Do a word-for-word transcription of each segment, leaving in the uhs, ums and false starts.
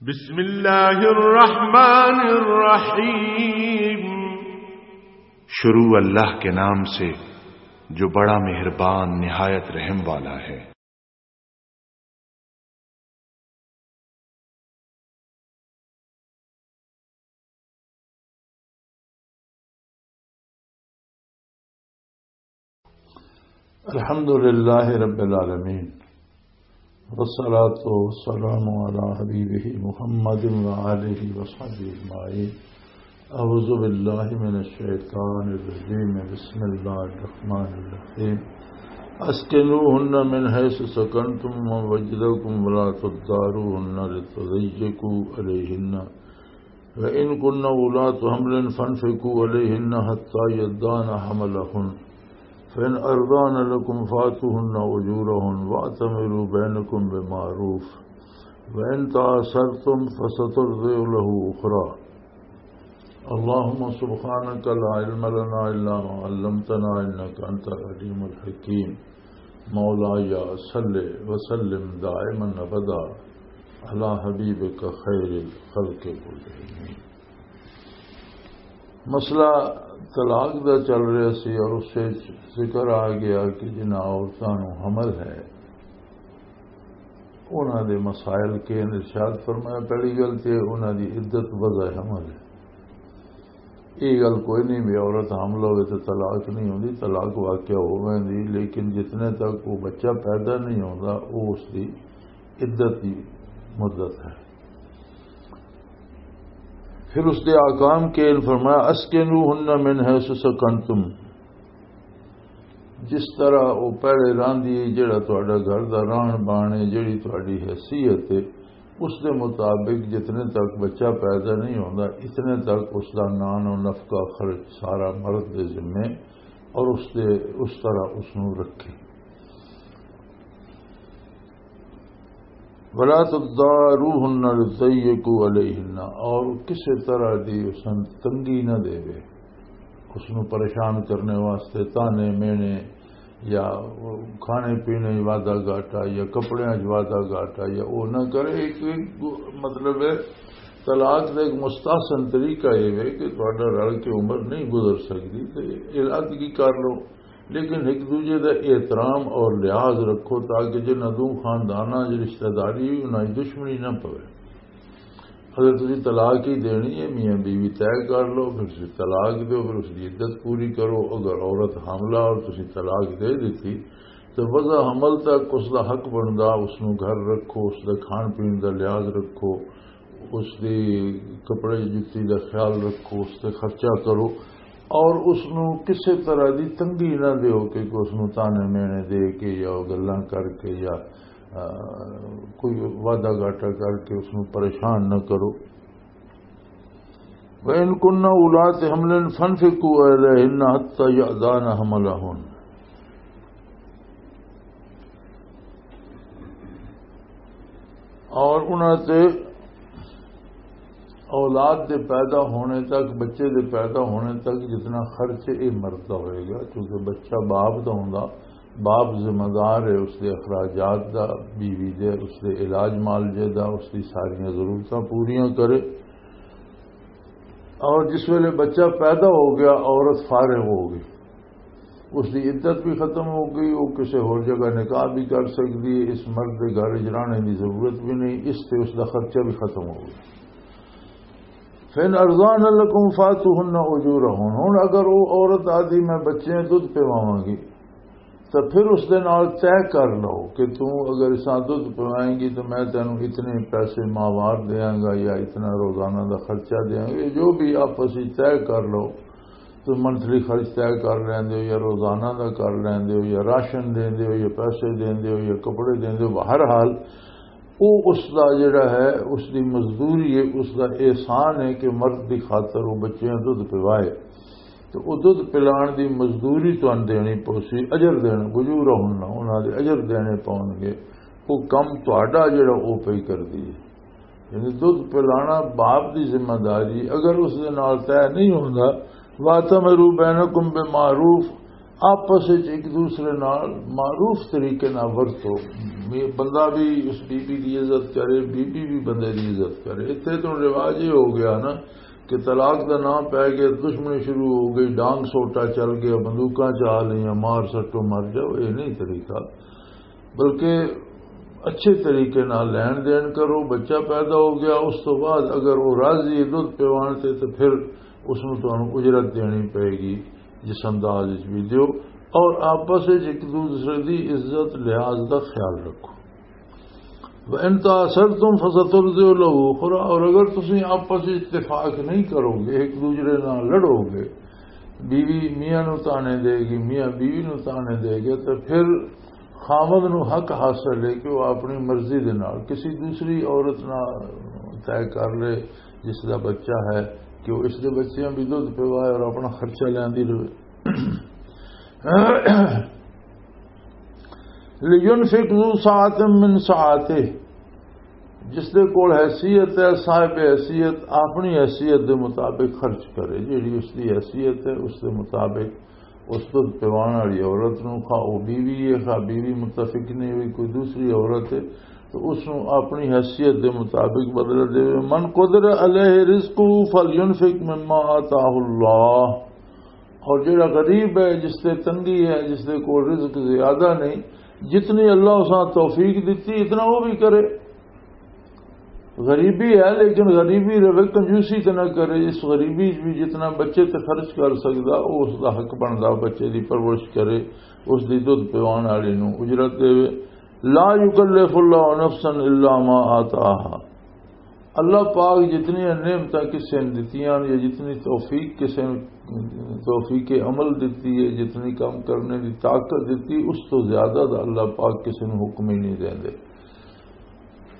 بسم اللہ الرحمن الرحیم۔ شروع اللہ کے نام سے جو بڑا مہربان نہایت رحم والا ہے۔ الحمد لله رب العالمين، والصلاة والسلام على حبيبه محمد وآله وصحبه أجمعين. أعوذ بالله من الشيطان الرجيم. بسم الله الرحمن الرحيم. أسكنوهن من حيث سكنتم من وجدكم ولا تضاروهن لتضيقوا عليهن، وإن كن أولاة حمل فأنفقوا عليهن حتى يضعن حملهن، فإن أرضعن لكم فآتوهن أجورهن وأتمروا بينكم بمعروف، وإن تعسرتم فسترضع له أخرى. اللهم سبحانك لا علم لنا إلا ما علمتنا إنك أنت العليم الحكيم. مولاي صل وسلم دائما أبدا على حبيبك خير الخلق كلهم. مسئلہ طلاق دا چل رہا سی اور اس سے ذکر آ گیا کہ جنہاں عورتاں نوں حمل ہے، انہاں دے مسائل کے ارشاد فرمایا۔ پہلی گل تے انہاں دی عدت وضع حمل ہے۔ یہ گل کوئی نہیں بھی عورت حاملہ ہوئے تو طلاق نہیں ہوندی، طلاق واقع ہو ویندی، لیکن جتنے تک وہ بچہ پیدا نہیں ہوندا، وہ اس دی عدت دی مدت ہے۔ پھر اس دے احکام کے ان فرمایا، "اسکنوہن من حیث سکنتم"، جس طرح وہ پہلے راندی ہے، جڑا تہاڈا گھر دا رہن بہن ہے، جڑی تہاڈی حیثیت ہے، اس دے مطابق جتنے تک بچہ پیدا نہیں ہوندا، اتنے تک اس دا نان و نفقہ خرچ سارا مرد دے ذمے، اور اس دے، اس طرح اس نوں رکھے۔ ولا تضاروهن لتضيقوا عليهن، اور کسی طرح دی اس نوں تنگی نہ دے، اس نوں پریشان کرنے واسطے تانے مینے یا کھانے پینے وچ وعدہ گھاٹا یا کپڑیاں وچ وعدہ گھاٹا یا وہ نہ کرے۔ ایک، ایک مطلب ہے، طلاق دا ایک مستحسن طریقہ یہ ہے کہ تہاڈا رل کے عمر نہیں گزر سکدی تے علاقگی کر لو، لیکن ایک دوجے دا احترام اور لحاظ رکھو تاکہ جنہاں دو خانداناں دی رشتہ داری ہوئی، انہاں دی دشمنی نہ پوے۔ اگر تسی طلاق ہی دینی ہے، میاں بیوی طے کر لو، پھر تسی طلاق دیو، پھر اس دی عدت پوری کرو۔ اگر عورت حاملہ اور تسی طلاق دے دتی تو وضع حمل تک اس دا حق بندا، اس نوں گھر رکھو، اس دا کھان پین دا لحاظ رکھو، اس دی کپڑے جتی دا خیال رکھو، اس تے خرچہ کرو، اور اس نوں کسے طرح دی تنگی نہ دیو کہ کوئی اس نوں تانے مینے دے کے یا گلاں کر کے یا، آ، کوئی وعدہ گھاٹا کر کے اس نوں پریشان نہ کرو۔ وَإِن كُنَّ أُولَاتِ حَمْلٍ فَأَنفِقُوا عَلَيْهِنَّ حَتَّى يَضَعْنَ حَمْلَهُنَّ۔ اور انہاں تے اولاد دے پیدا ہونے تک، بچے دے پیدا ہونے تک جتنا خرچ یہ مرد دا ہوئے گا، کیونکہ بچہ باپ دا ہوندا، باپ ذمہ دار ہے اس دے اخراجات دا، بیوی دے، اس دے علاج معالجے دا، اس دی ساریاں ضرورتاں پوریاں کرے۔ اور جس ویلے بچہ پیدا ہو گیا، عورت فارغ ہو گئی، اس دی عدت بھی ختم ہو گئی، وہ کسی ہور جگہ نکاح بھی کر سکتی ہے، اس مرد دے گھر وچ رہنے دی ضرورت بھی نہیں، اس تے اس دا خرچہ بھی ختم ہو گیا۔ فَإِنْ أَرْضَعْنَ لَكُمْ فَآتُوهُنَّ أُجُورَهُنَّ۔ ہن اگر وہ عورت آدھی میں بچے دودھ پواواں گی، تو پھر اس دے نال طے کر لو کہ تو اگر اساں دودھ پوائیں گی تو میں تینوں اتنے پیسے ماہوار دیاں گا یا اتنا روزانہ دا خرچہ دیاں گا، یہ جو بھی آپس وچ طے کر لو۔ تو منتھلی خرچ طے کر لیندے ہو یا روزانہ دا کر لیندے ہو یا راشن دیندے ہو یا پیسے دیندے ہو یا کپڑے دیندے ہو، بہرحال وہ اس دا جڑا ہے، اس دی مزدوری ہے، اس دا احسان ہے کہ مرد دی خاطر وہ بچیاں دودھ پوائے۔ تو وہ دودھ پلان دی مزدوری تانوں دینی پوسی، اجر دینا، اجورہن، انہاں دے اجر دینے پون گے۔ وہ کم تہاڈا جڑا وہ پئی کردی ہے۔ یعنی دودھ پلانا باپ دی ذمہ داری، اگر اس دے نال طے نہیں ہوندا، وَأَتَمِرُوا بَيْنَكُمْ بِمَعْرُوفٍ، آپس وچ ایک دوسرے نال معروف طریقے نال ورتو۔ بندہ بھی اس بی بی دی عزت کرے، بی بی بھی بندے دی عزت کرے۔ اتنے تو رواج یہ ہو گیا نا کہ طلاق دا نام پہ گیا، دشمنی شروع ہو گئی، ڈانگ سوٹا چل گیا، بندوقاں چا لیا، مار سٹو مر جاؤ، یہ نہیں طریقہ۔ بلکہ اچھے طریقے نال لین دین کرو۔ بچہ پیدا ہو گیا، اس تو بعد اگر وہ راضی ہے دودھ پیوان تے، تو پھر اس نوں تانوں اجرت دینی پئے گی، جس انداز وچ بھی دیو۔ اور آپس وچ ایک دوسرے دی عزت لحاظ دا خیال رکھو۔ وَإِن تَعَسَرْتُمْ فَسَتُرْضِعُ لَهُ أُخْرَىٰ، اور اگر تسی آپس وچ اتفاق نہیں کرو گے، ایک دوسرے نال لڑو گے، بیوی میاں نو تانے دے گی، میاں بیوی نو تانے دے گے، تو پھر خاوند نو حق حاصل ہے کہ وہ اپنی مرضی دے نال کسی دوسری عورت نال طے کر لے، جس دا بچہ ہے، کہ وہ اس دے بچیاں بھی دودھ پیوائے اور اپنا خرچہ لیندی رہے۔ لینفق ذو سعۃ من سعتہ، جس دے کول حیثیت ہے، صاحب حیثیت، اپنی حیثیت دے مطابق خرچ کرے، جیڑی اس دی حیثیت ہے، اس دے مطابق۔ اس دودھ پیوان والی عورت نو، خواہ او بیوی ہے، خواہ بیوی متفق نہیں ہوئی، کوئی دوسری عورت ہے، تو اس نو اپنی حیثیت دے مطابق بدلہ دے۔ من قدر علیہ رزقہ فلینفق مما آتاہ اللہ۔ اور جڑا غریب ہے، جس تے تنگی ہے، جس دے کول رزق زیادہ نہیں، جتنی اللہ اساں توفیق دتی، اتنا وہ بھی کرے۔ غریبی ہے، لیکن غریبی رہے، کنجوسی تے نہ کرے۔ اس غریبی وچ بھی جتنا بچے تے خرچ کر سکدا، او اس دا حق بندا، بچے دی پرورش کرے، اس دی دودھ پیوان والی نو اجرت دے۔ لا یکلف اللہ نفسا الا ما آتاہا۔ اللہ پاک جتنی نعمتاں کسے نے دتیاں یا جتنی توفیق کسے نے، توفیق عمل دتی ہے، جتنی کام کرنے دی طاقت دتی، اس تو زیادہ دا اللہ پاک کسے نو حکم ہی نہیں دیندے۔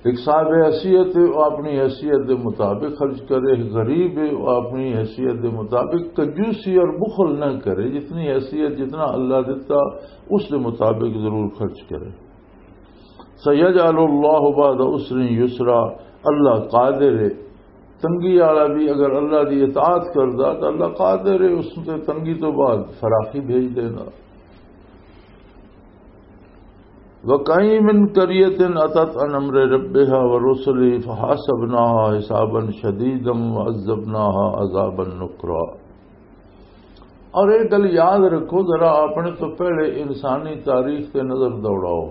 ایک صاحب حیثیت ہے، وہ اپنی حیثیت دے مطابق خرچ کرے، ایک غریب ہے، وہ اپنی حیثیت دے مطابق کنجوسی اور بخل نہ کرے، جتنی حیثیت، جتنا اللہ دیتا، اس دے مطابق ضرور خرچ کرے۔ سَيَجْعَلُ اللَّهُ بَعْدَ عُسْرٍ يُسْرًا، اللہ قادر ہے۔ تنگی والا بھی اگر اللہ دی اطاعت کردا تو اللہ قادر ہے اس تے تنگی تو بعد فراخی بھیج دینا۔ وَكَأَيِّن مِّن قَرْيَةٍ أَتَتْ عَنْ أَمْرِ رَبِّهَا وَرُسُلِهِ فَحَاسَبْنَاهَا حِسَابًا شَدِيدًا وَعَذَّبْنَاهَا عَذَابًا نُكْرًا۔ اور ایک گل یاد رکھو ذرا، اپنے تو پہلے انسانی تاریخ تے نظر دوڑاؤ۔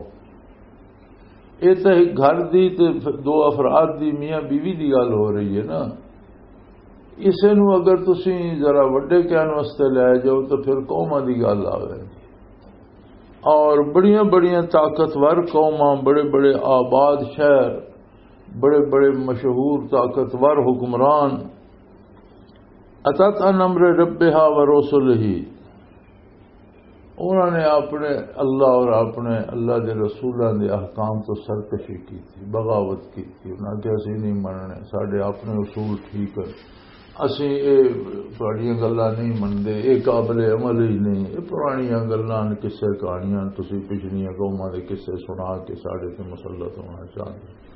یہ تو ایک گھر دی تے دو افراد دی، میاں بیوی دی گل ہو رہی ہے نا۔ اسے نو اگر تسی ذرا وڈے کینوس تے لے جاؤ تو پھر قوماں دی گل آوے۔ اور بڑیاں بڑیاں طاقتور قوماں، بڑے بڑے آباد شہر، بڑے بڑے مشہور طاقتور حکمران، اتت عن امر ربها ورسله، انہوں نے اپنے اللہ اور اپنے اللہ دے رسولاں دے احکام تو سرکشی کی تھی، بغاوت کی تھی۔ انہاں کہ اسی نہیں مننے، ساڈے اپنے اصول ٹھیک ہے، اسی اے تہاڈیاں گلاں نہیں مندے، اے قابل عمل ہی نہیں، اے پرانیاں گلاں نے، قصے کہانیاں، تسی پچھلیاں قوماں دے قصے سنا کے ساڈے تے مسلط ہونا چاہندے۔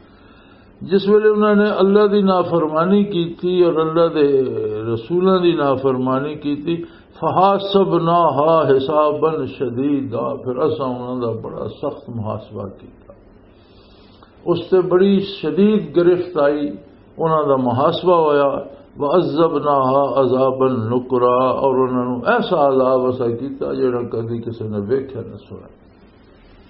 جس ویلے انہوں نے اللہ دی نافرمانی کیتی اور اللہ دے رسولاں دی نافرمانی کیتی، فحاسبناها حسابا شدیدا، پھر اساں انہاں دا بڑا سخت محاسبہ کیتا۔ اس تے بڑی شدید گرفت آئی، انہاں دا محاسبہ ہویا۔ وعذبناها عذابا نکرا، اور انہاں نوں ایسا عذاب اسا کیتا جڑا کدی کسے نے ویکھیا نہ سنا۔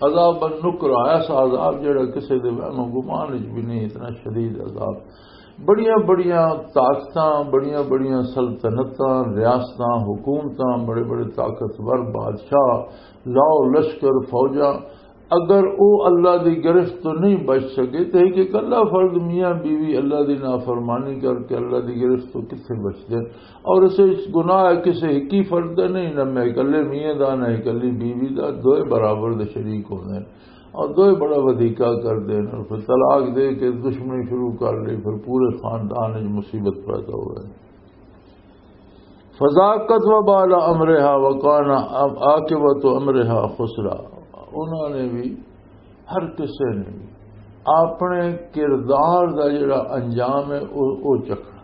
عذاب النکرہ، ایسا عذاب جڑا کسے دے وہم و گمان وچ بھی نہیں، اتنا شدید عذاب۔ بڑیاں بڑیاں طاقتاں، بڑیاں بڑیاں سلطنتاں، ریاستاں، حکومتاں، بڑے بڑے طاقتور بادشاہ، لاؤ لشکر، فوجاں، اگر او اللہ دی گرفت تو نہیں بچ سکے تو ایک اکلا فرد میاں بیوی اللہ دی نافرمانی کر کے اللہ دی گرفت تو کتھے بچ جائے؟ اور اسے گناہ کسے ہکی فرد دا نہیں، نہ میں اکلے میاں دا، نہ اکلی بیوی دا، دوئے برابر دے شریک ہوندے نے۔ اور دوئے بڑا ودھیکا کردے نے، اور پھر طلاق دے کے دشمنی شروع کر لی، پھر پورے خاندان وچ مصیبت پیدا ہوئے۔ فذاقت وبال امرها وکان عاقبت امرها خسرا۔ انہوں نے بھی، ہر کسے نے بھی اپنے کردار دا جڑا انجام ہے، او، او چکھنا۔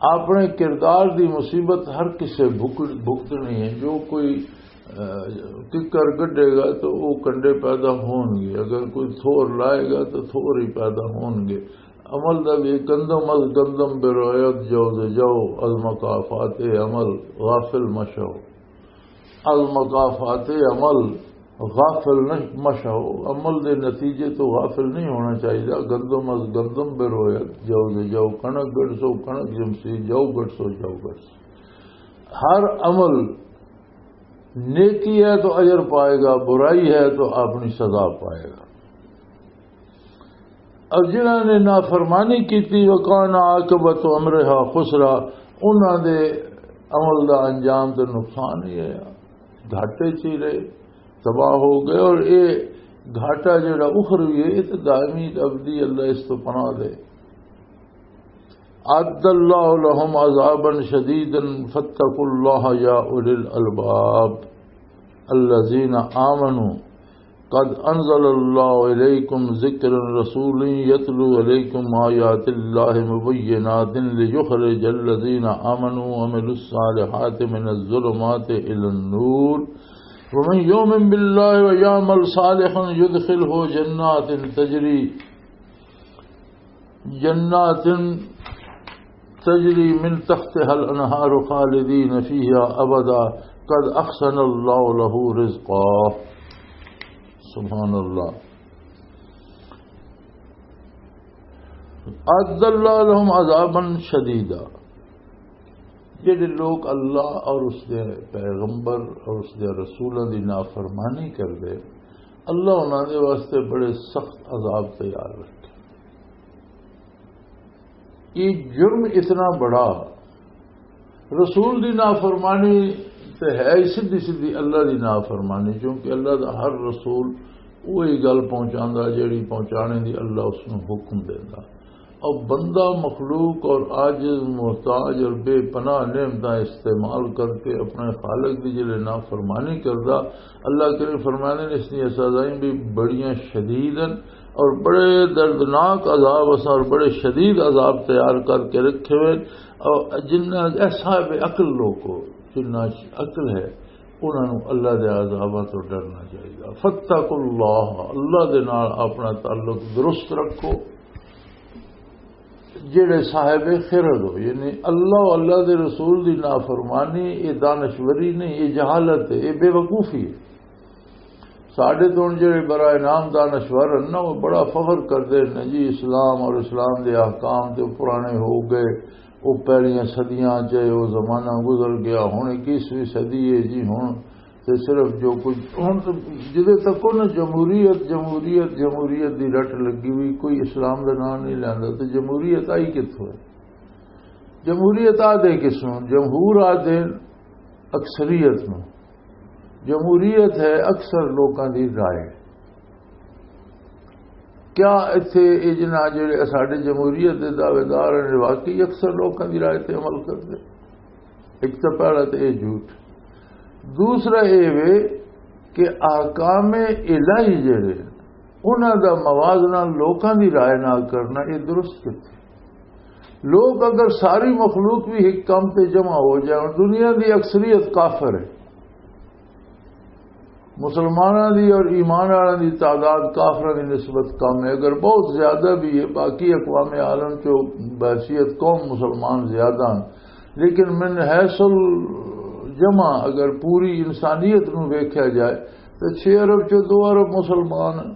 اپنے کردار دی مصیبت ہر کسے بھگت-، بھگتنی ہے۔ جو کوئی ککر کڈے گا تو وہ کنڈے پیدا ہون گے، اگر کوئی تھور لائے گا تو تھور ہی پیدا ہون گے۔ عمل دا بھی گندم از گندم برویت جو ز جو، از مکافات عمل غافل مشو۔ از مکافات عمل غافل نہ مشو، عمل دے نتیجے تو غافل نہیں ہونا چاہیے۔ گندم از گندم برویت جو ز جو، کنک گڑسو کنک جمسی، جو گڑسو جو گڑسو۔ ہر عمل نیکی ہے تو اجر پائے گا، برائی ہے تو اپنی سزا پائے گا۔ اور جنہاں نے نافرمانی کی تھی، وَكَانَ عَاقِبَةُ أَمْرِهَا خُسْرًا، انہاں دے عمل دا انجام تے نقصان ہی ہے، گھاٹے چ ہی رہے، تباہ ہو گئے۔ اور یہ گھاٹا جڑا اخروی ہے، یہ تو دائمی ابدی، اللہ اس تو پناہ دے۔ أعد الله لهم عذابا شديدا فاتقوا الله يا أولي الألباب الذين آمنوا قد أنزل الله إليكم ذكرا رسولا يتلو عليكم آيات الله مبينات ليخرج الذين آمنوا وعملوا الصالحات من الظلمات إلى النور ومن يؤمن بالله ويعمل صالحا يدخله جنات تجري جنات تجری من تحتها الانہار خالدین فیہا ابدا قد احسن اللہ لہ رزقا۔ سبحان اللہ۔ اعد اللہ لہم عذابا شدیدا، جڑے لوگ اللہ اور اس دے پیغمبر اور اس دے رسولوں دی نافرمانی کردے، اللہ انہاں دے واسطے بڑے سخت عذاب تیار رکھے۔ یہ جرم اتنا بڑا، رسول دی نافرمانی تے ہے ہی سیدھی سیدھی اللہ دی نافرمانی، کیونکہ اللہ دا ہر رسول وہی گل پہنچاندا جیڑی پہنچانے دی اللہ اس نوں حکم دیندا۔ اور بندہ مخلوق اور عاجز، محتاج اور بے پناہ نعمتاں استعمال کر کے اپنے خالق دی جلے نافرمانی کردا، اللہ کریم فرمانے نے اس دی سزائیں بھی بڑیاں شدید ہیں اور بڑے دردناک عذاب اساں اور بڑے شدید عذاب تیار کر کے رکھے ہوئے۔ اور جنہ اے صاحب عقل لوگ ہو، جنہ عقل ہے، انہاں نوں اللہ دے عذاباں تو ڈرنا چاہیے۔ فاتقوا اللہ، اللہ دے نال اپنا تعلق درست رکھو۔ جڑے صاحب خرد ہو، یعنی اللہ و اللہ دے رسول دی نافرمانی، یہ دانشوری نہیں، یہ جہالت ہے، یہ بے وقوفی ہے۔ ساڈے تو ہن جڑے برائے نام دانشور ہیں نا، وہ بڑا فخر کردے نے جی، اسلام اور اسلام دے احکام تے پرانے ہو گئے، وہ پہلیاں صدیاں چ وہ زمانہ گزر گیا، ہن اکیسویں صدی ہے جی، ہن تے صرف جو کچھ ہن تے جدے تک نا جمہوریت، جمہوریت، جمہوریت دی رٹ لگی ہوئی، کوئی اسلام دا نام نہیں لیندا، تے جمہوریت آئی کتھوں ہے؟ جمہوریت آ دے کس نوں؟ جمہور آ دے اکثریت نوں۔ جمہوریت ہے اکثر لوکاں دی رائے۔ کیا اتھے یہ جناح جڑے ساڈے جمہوریت دے دعوے دار ہیں، واقعی اکثر لوکاں دی رائے تے عمل کردے؟ ایک تو پہلا تو یہ جھوٹ۔ دوسرا یہ وے کہ احکام الہی جڑے انہاں دا موازنہ لوکاں دی رائے نال کرنا، یہ درست کتھے؟ لوگ اگر ساری مخلوق بھی ایک کام تے جمع ہو جائے، اور دنیا دی اکثریت کافر ہے، مسلماناں دی اور ایمان والوں دی تعداد کافراں دی نسبت کم ہے، اگر بہت زیادہ بھی ہے، باقی اقوام عالم چو بحیثیت قوم مسلمان زیادہ ہیں، لیکن من حیث الجمع اگر پوری انسانیت نوں ویکھیا جائے تو چھ ارب چو دو ارب مسلمان ہیں۔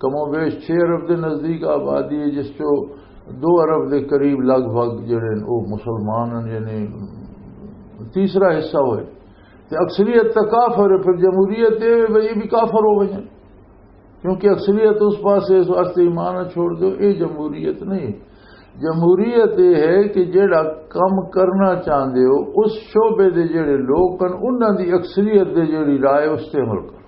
کم و بیش چھ ارب دے نزدیک آبادی ہے، جس چو دو ارب دے قریب لگ بھگ جڑے ہیں، وہ مسلمان ہیں، یعنی تیسرا حصہ ہوئے۔ تے اکثریت تا کافر ہے، پھر جمہوریت یہ ہے بھئی یہ بھی کافر ہو گئے ہیں، کیونکہ اکثریت اس پاسے، اس واسطے ایمان نہ چھوڑ دو، یہ جمہوریت نہیں۔ جمہوریت یہ ہے کہ جڑا کم کرنا چاہندے ہو، اس شعبے دے جڑے لوگ ہیں، انہاں دی اکثریت دے جڑی رائے، اس تے عمل کرو۔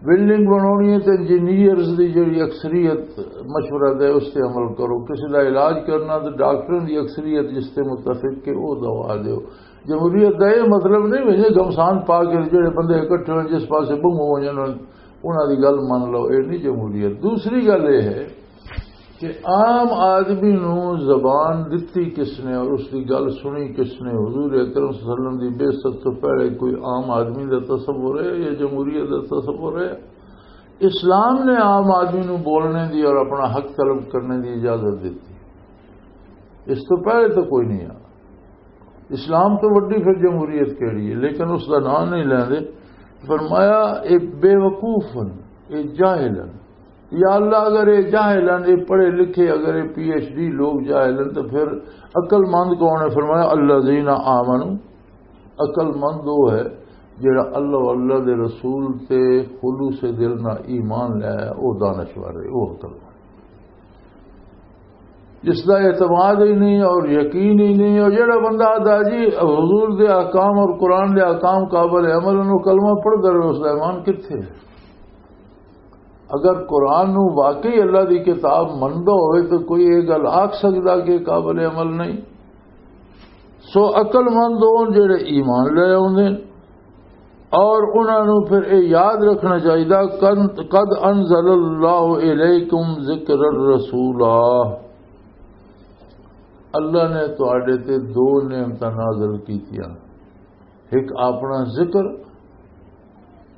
بلڈنگ بنانی ہے تو انجینئرز دی جڑی اکثریت مشورہ دے، اس تے عمل کرو۔ کسی دا علاج کرنا تو ڈاکٹروں دی اکثریت جس تے متفق کہ وہ دوا دیو۔ جمہوریت دا یہ مطلب نہیں وے جے گھمسان پا کے جڑے بندے اکٹھے ہوئے جس پاسے بنگو ہو جانا، انہاں دی گل من لو، یہ نہیں جمہوریت۔ دوسری گل یہ ہے عام آدمی نو زبان دتی کس نے اور اس دی گل سنی کس نے؟ حضور اکرم صلی اللہ علیہ وسلم دی بعثت تو پہلے کوئی عام آدمی دا تصور ہے یا جمہوریت دا تصور ہے؟ اسلام نے عام آدمی نو بولنے دی اور اپنا حق طلب کرنے دی اجازت دیتی۔ اس تو پہلے تو کوئی نہیں آ۔ اسلام تو وڈی پھر جمہوریت کیڑی ہے، لیکن اس دا نام نہیں لیندے۔ فرمایا، اے بے وقوف ہن، اے جاہل ہن۔ یا اللہ، اگر اے جاہل ہن، اے پڑھے لکھے، اگر اے پی ایچ ڈی لوگ جاہل ہن، تو پھر عقل مند کون ہے؟ فرمایا، الذین آمنوا، عقل مند وہ ہے جڑا اللہ و اللہ دے رسول تے خلوص دل نہ ایمان لے آیا، وہ دانشور ہے، وہ عقل مند۔ جس دا اعتماد ہی نہیں اور یقین ہی نہیں، اور جڑا بندہ آدھا جی حضور دے احکام اور قرآن دے احکام قابل عمل ہیں، وہ کلمہ پڑھدا رہے، اس دا ایمان کتھے ہے؟ اگر قرآن نو واقعی اللہ دی کتاب مندا ہوئے تو کوئی یہ گل آکھ سکدا کہ قابل عمل نہیں؟ سو عقل مند ہون جڑے ایمان لے آوندے نے، اور انہاں نوں پھر یہ یاد رکھنا چاہیے، قد، قد انزل اللہ الیکم ذکر الرسولا، اللہ نے تواڈے تے دو نعمتاں نازل کیتیاں، ایک اپنا ذکر،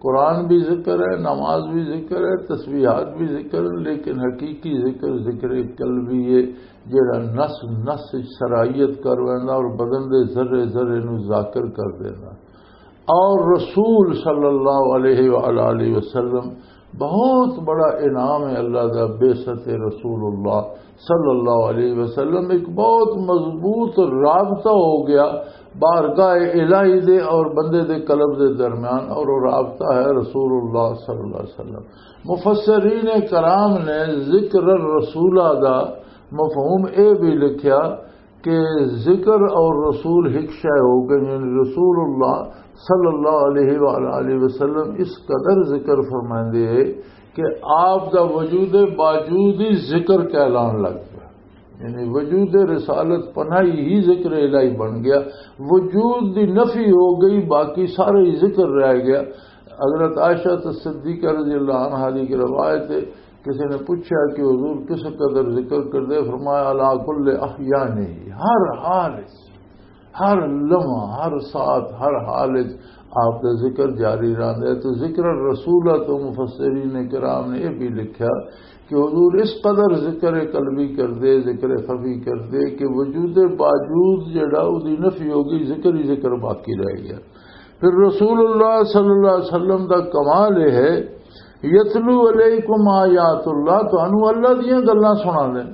قرآن بھی ذکر ہے، نماز بھی ذکر ہے، تسبیحات بھی ذکر ہے، لیکن حقیقی ذکر ذکر قلبی ہے، جڑا نس نس وچ سرائیت کر ویندا اور بدن دے ذرے ذرے نوں ذاکر کر دیندا۔ اور رسول صلی اللہ علیہ وآلہ وسلم، بہت بڑا انعام ہے اللہ دا، بعثت رسول اللہ صلی اللہ علیہ وسلم، ایک بہت مضبوط رابطہ ہو گیا بارگاہ الہی دے اور بندے دے قلب دے درمیان، اور وہ رابطہ ہے رسول اللہ صلی اللہ علیہ وسلم۔ مفسرین کرام نے ذکر الرسولہ دا مفہوم اے بھی لکھیا کہ ذکر اور رسول ایک شے ہو گئے، یعنی رسول اللہ صلی اللہ علیہ وآلہ وسلم اس قدر ذکر فرمائندے ہیں کہ آپ دا وجود باوجود ہی ذکر کہلان لگ گیا۔ یعنی وجود رسالت پناہی ہی ذکر الہی بن گیا، وجود دی نفی ہو گئی، باقی سارا ہی ذکر رہ گیا۔ حضرت عائشہ صدیقہ رضی اللہ عنہا دی ایک روایت ہے، کسی نے پوچھا کہ حضور کس قدر ذکر کردے؟ فرمایا، علی کل احیانی، ہر حال وچ، ہر لمحہ، ہر ساعت، ہر حال وچ آپ دا ذکر جاری رہندا ہے۔ تو ذکر الرسول تو مفسرین کرام نے یہ بھی لکھا کہ حضور اس قدر ذکر قلبی کردے، ذکر خفی کردے کہ وجود باوجود جڑا او دی نفی ہو گئی، ذکر ہی ذکر باقی رہ گیا۔ پھر رسول اللہ صلی اللہ علیہ وسلم دا کمال یہ ہے، یتلو علیکم آیات اللہ، تانوں اللہ دیاں گلاں سنا دے،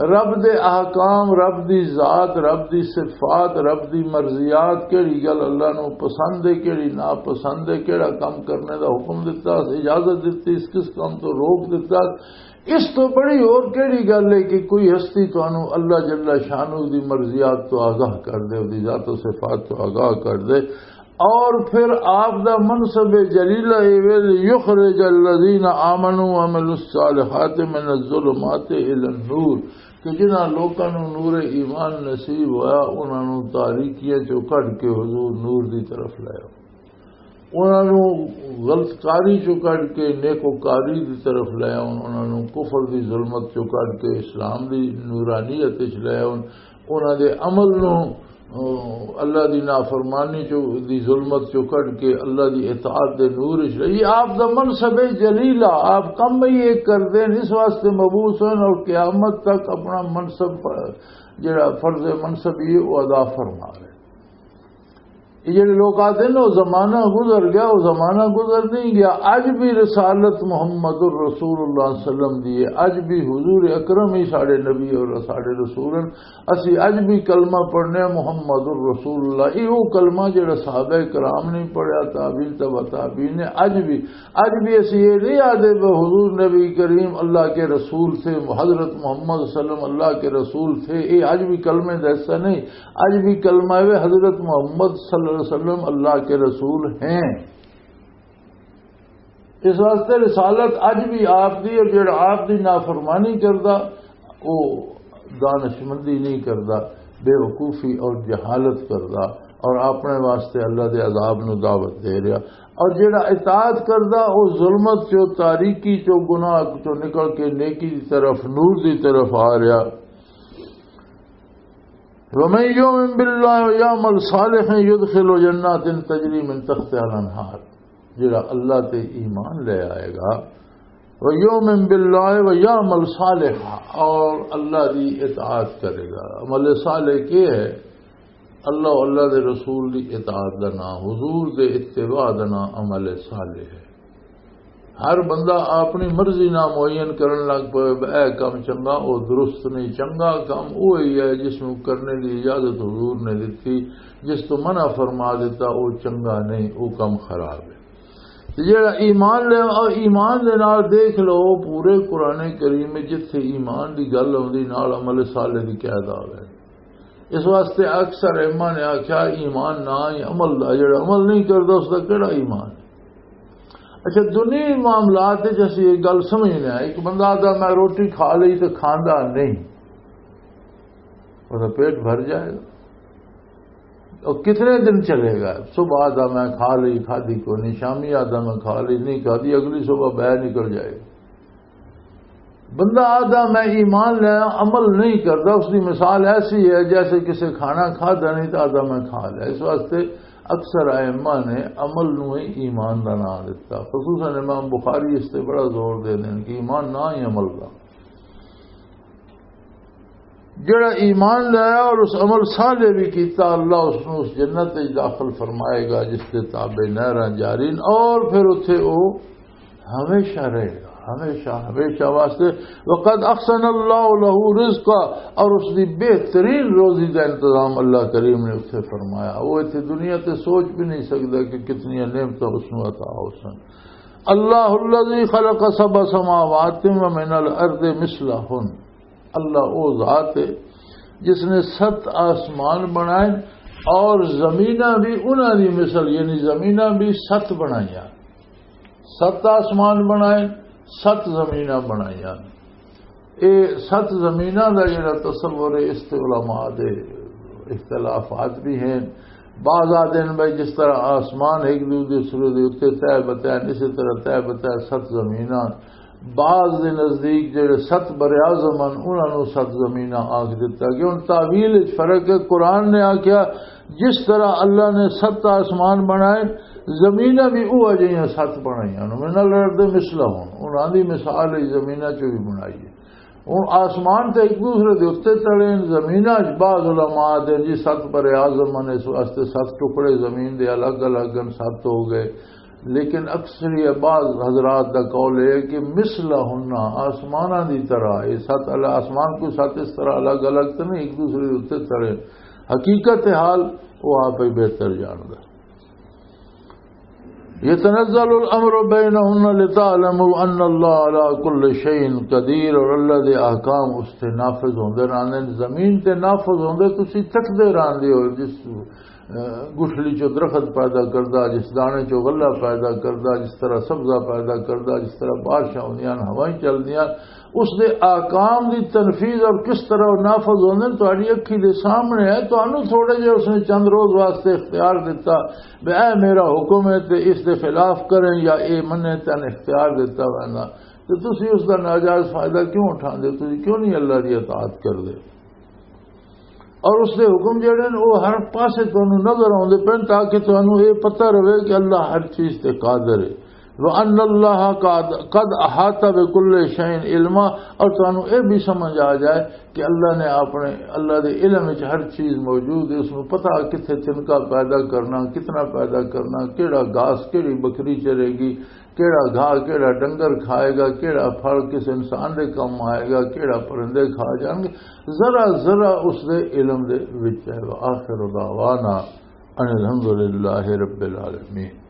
رب دے احکام، رب دی ذات، رب دی صفات، رب دی مرضیات، کیڑی گل اللہ نو پسند ہے، کیڑی ناپسند ہے، کیڑا کم کرنے دا حکم دتا، اجازت دتی، اس کس کام تو روک دتا۔ اس تو بڑی اور کیڑی گل ہے کہ کوئی ہستی تانوں اللہ جل شانہ دی مرضیات تو آگاہ کر دے، دی ذات و صفات تو آگاہ کر دے۔ اور پھر آپ دا منصب جلیلہ اے وے، یخرج الذین آمنوا وعملوا الصالحات من الظلمات الی النور، کہ جنہاں لوکاں نوں نور ایمان نصیب ہویا، انہاں نوں تاریکیاں چوں کڈ کے حضور نور دی طرف لے آؤ۔ انہاں نوں غلط کاری چوں کڈ کے نیکوکاری دی طرف لے آؤ، انہاں نوں کفر دی ظلمت چوں کڈ کے اسلام دی نورانیت وچ لے آؤ، انہاں دے عمل نوں، آ، اللہ دی نافرمانی چوں، دی ظلمت چوں کڈ کے اللہ دی اطاعت دے نور وچ لے۔ یہ آپ دا منصب ہے جلیلہ، آپ کم ہی ایک کردے نے، اس واسطے مبعوث ہیں اور قیامت تک اپنا منصب، جڑا فرض منصب یہ وہ ادا فرما رہے۔ یہ جڑے لوگ آتے ہیں نا، وہ زمانہ گزر گیا، وہ زمانہ گزر نہیں گیا۔ اج بھی رسالت محمد الرسول اللہ صلی اللہ علیہ وسلم دی ہے، اج بھی حضور اکرم ہی ساڈے نبی اور ساڈے رسول ہیں۔ اسی اج بھی کلمہ پڑھنے ہیں محمد الرسول اللہ، یہ وہ کلمہ جڑا صحابہ کرام نے پڑھیا، تابعین، تبع تابعین نے، اج بھی، اج بھی اسی یہ نہیں آدھے کہ حضور نبی کریم اللہ کے رسول تھے، حضرت محمد صلی اللہ علیہ وسلم اللہ کے رسول تھے، یہ اج بھی کلمے دا حصہ نہیں۔ اج بھی کلمہ ہے، حضرت محمد صلی اللہ علیہ وسلم اللہ کے رسول ہیں۔ اس واسطے رسالت اج بھی آپ دی، اور جڑا آپ دی نافرمانی کردا، وہ دانشمندی نہیں کردا، بے وقوفی اور جہالت کردا۔ اور اپنے واسطے اللہ دے عذاب نو دعوت دے رہا۔ اور جڑا اطاعت کردا، او ظلمت چو، تاریکی چو، گناہ چو نکل کے نیکی دی طرف، نور دی طرف آ رہا۔ ومن یؤمن باللہ ویعمل صالحا یدخل جنات تجری من تحتها الانہار۔ جڑا اللہ تے ایمان لے آئے گا، ویؤمن باللہ ویعمل صالحا، اور اللہ دی اطاعت کرے گا۔ عمل صالح کی ہے؟ اللہ، اللہ دے رسول دی اطاعت دا نام، حضور دے اتباع دا نام عمل صالح ہے۔ ہر بندہ اپنی مرضی نال معین کرن لگ پے، اے کم چنگا، او درست نہیں۔ چنگا کم وہی ہے جس نوں کرنے دی اجازت حضور نے دتی، جس تو منع فرما دیتا، او چنگا نہیں، او کم خراب ہے۔ تے جڑا ایمان لے، او ایمان دے نال دیکھ لو، پورے قرآن کریم وچ جتھے ایمان دی گل آوندی، نال عمل صالح دی کیا دعوی ہے۔ اس واسطے اکثر ائمہ نے آکھیا، ایمان نہ ہی عمل دا، جڑا عمل نہیں کردا، اس دا کیڑا ایمان؟ اچھا، دنیاوی معاملات وچ اسی یہ گل سمجھنے ہیں، ایک بندہ آدھا، "میں روٹی کھا لئی" تے کھاندا نہیں، وہ پیٹ بھر جائے گا؟ اور کتنے دن چلے گا؟ صبح آدھا، "میں کھا لئی"، کھادی کو نہیں، شامی آدھا، "میں کھا لئی"، نہیں کھادی، اگلی صبح بہ نکل جائے گا۔ بندہ آدھا میں ایمان لیا، عمل نہیں کرتا، اس کی مثال ایسی ہے جیسے کسی کھانا کھادا نہیں تو آدھا میں کھا لیا۔ اس واسطے اکثر ائمہ نے عمل نو ہی ایمان دا نام دیتا۔ خصوصاً امام بخاری اس تے بڑا زور دے دین کہ ایمان نہ ہی عمل دا۔ جڑا ایمان لایا اور اس عمل صالح بھی کیتا، اللہ اس نو اس جنت وچ داخل فرمائے گا جس دے تابع نہراں جاری ہیں، اور پھر اتھے او ہمیشہ رہے گا، ہمیشہ، ہمیشہ واسطے۔ وقد احسن اللہ لہ رزقا، اور اس دی بہترین روزی دا انتظام اللہ کریم نے اتھے فرمایا۔ وہ اتھے دنیا تے سوچ بھی نہیں سکدا کہ کتنی نعمتاں اس نو عطا ہو سن۔ اللہ الذی خلق سبع سماوات ومن الارض مثلہن، اللہ او ذات ہے جس نے ست آسمان بنائے اور زمیناں بھی انہاں دی مثل، یعنی زمیناں بھی ست بنائیاں۔ ست آسمان بنائے، ست زمیناں بنائیاں۔ اے ست زمیناں دا جڑا تصور ہے، اس تے علماء دے اختلافات بھی ہیں۔ بعض آدھے نے بھائی، جس طرح آسمان ایک دوسرے دے اُتے تہہ بتہ، اسی طرح تہہ بتہ ست زمیناں۔ بعض دے نزدیک جڑے ست براعظم ہن، انہاں نوں ست زمیناں آکھ دتا گیا۔ ہن تاویل وچ فرق ہے۔ قرآن نے آکھیا، جس طرح اللہ نے ست آسمان بنائے، زمیناں بھی اوہ جہیاں ست بنائیاں۔ من الارض مثلہن، انہاں دی مثال ہے زمیناں چوں بھی بنائی ہے۔ ہن آسمان تے ایک دوسرے دے اُتے تڑے ہن، زمیناں وچ بعض علماء دے جی ست براعظم ہن، اس واسطے ست ٹکڑے زمین دے الگ الگ ہن، ست ہو گئے۔ لیکن اکثریت بعض حضرات دا قول ہے کہ مثلہن، آسماناں دی طرح، یہ ست اللہ، آسمان کوئی ست اس طرح الگ الگ تو نہیں، ایک دوسرے دے اُتے تڑے۔ حقیقت حال وہ آپ ہی بہتر جاندا۔ یتنزل الامر بینہن لتعلموا ان اللہ علی کل شیء قدیر، اور اللہ دے احکام اس تے نافذ ہوندے رہندے نے، زمین تے نافذ ہوندے، تسی تکدے رہندے ہو جس گٹھلی چو درخت پیدا کردا، جس دانے چو غلہ پیدا کردا، جس طرح سبزہ پیدا کردا، جس طرح بارشاں ہوندیاں، ہوائیں چلدیاں، اس دے احکام دی تنفیذ اور کس طرح وہ نافذ ہوندے نے، تہاڈی اکھی دے سامنے ہے۔ تانوں تھوڑے جے اس نے چند روز واسطے اختیار دتا، بے اے میرا حکم ہے تے اس دے خلاف کریں یا اے منیں، تن اختیار دتا ویندا، تے تسی اس دا ناجائز فائدہ کیوں اٹھاندے؟ تسی کیوں نہیں اللہ دی اطاعت کردے؟ اور اس دے حکم جڑے نے، وہ ہر پاسے تانوں نظر آوندے پن، تاکہ تانوں یہ پتہ رہے کہ اللہ ہر چیز تے قادر ہے۔ وَأَنَّ اللَّهَ قَدْ، قَدْ أَحَاطَ بِكُلِّ شَيْءٍ عِلْمًا، اور تانوں یہ بھی سمجھ آ جائے کہ اللہ نے اپنے، اللہ دے علم وچ ہر چیز موجود ہے، اس نوں پتہ کتھے تنکا پیدا کرنا، کتنا پیدا کرنا، کیڑا گھاس، کیڑی بکری چرے گی، کیڑا گھا، کیڑا ڈنگر کھائے گا، کیڑا پھل کس انسان دے کم آئے گا، کیڑا پرندے کھا جان گے، ذرا ذرا اس دے علم دے وچ ہے۔ وآخر دعوانا ان الحمدللہ رب العالمین۔